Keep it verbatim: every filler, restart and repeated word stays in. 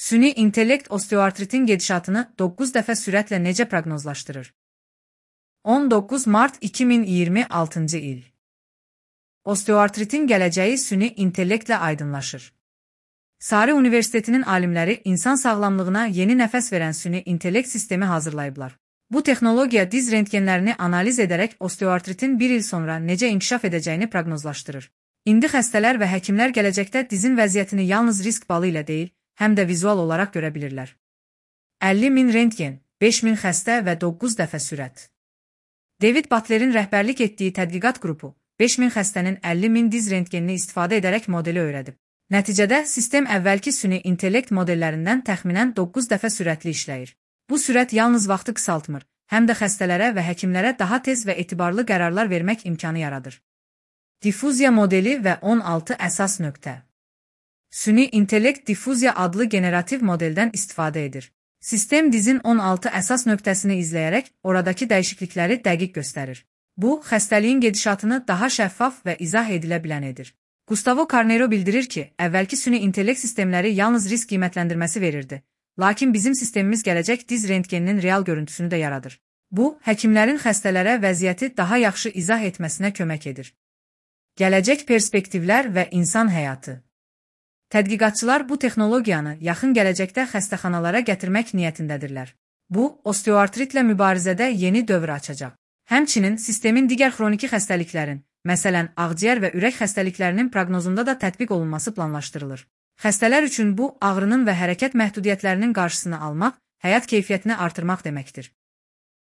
Süni intellekt osteoartritin gedişatını doqquz dəfə sürətlə necə proqnozlaşdırır? on doqquz mart iki min iyirmi altıncı il. Osteoartritin gələcəyi süni intellektlə aydınlaşır. Sarı Universitetinin alimləri insan sağlamlığına yeni nəfəs verən süni intellekt sistemi hazırlayıblar. Bu texnologiya diz rentgenlərini analiz edərək osteoartritin bir il sonra necə inkişaf edəcəyini proqnozlaşdırır. İndi xəstələr və həkimlər gələcəkdə dizin vəziyyətini yalnız risk balı ilə deyil, həm də vizual olaraq görə bilirlər. əlli min rentgen, beş min xəstə və doqquz dəfə sürət. David Butler'in rəhbərlik etdiyi tədqiqat qrupu, beş min xəstənin əlli min diz rentgenini istifadə edərək modeli öyrədib. Nəticədə sistem əvvəlki süni intellekt modellərindən təxminən doqquz dəfə sürətli işləyir. Bu sürət yalnız vaxtı qısaltmır, həm də xəstələrə və həkimlərə daha tez və etibarlı qərarlar vermək imkanı yaradır. Difuziya modeli və on altı əsas nöqtə. Süni intellekt difuziya adlı generativ modeldən istifadə edir. Sistem dizin on altı əsas nöqtəsini izləyərək oradakı dəyişiklikləri dəqiq göstərir. Bu, xəstəliyin gedişatını daha şəffaf və izah edilə bilən edir. Gustavo Carneiro bildirir ki, əvvəlki süni intellekt sistemləri yalnız risk qiymətləndirməsi verirdi. Lakin bizim sistemimiz gələcək diz rentgeninin real görüntüsünü də yaradır. Bu, həkimlərin xəstələrə vəziyyəti daha yaxşı izah etməsinə kömək edir. Gələcək perspektivlər və insan həyatı. Tədqiqatçılar bu texnologiyanı yaxın gələcəkdə xəstəxanalara gətirmək niyyətindədirlər. Bu, osteoartritlə mübarizədə yeni dövr açacaq. Həmçinin sistemin digər xroniki xəstəliklərin, məsələn, ağciyər və ürək xəstəliklərinin proqnozunda da tətbiq olunması planlaşdırılır. Xəstələr üçün bu, ağrının və hərəkət məhdudiyyətlərinin qarşısını almaq, həyat keyfiyyətini artırmaq deməkdir.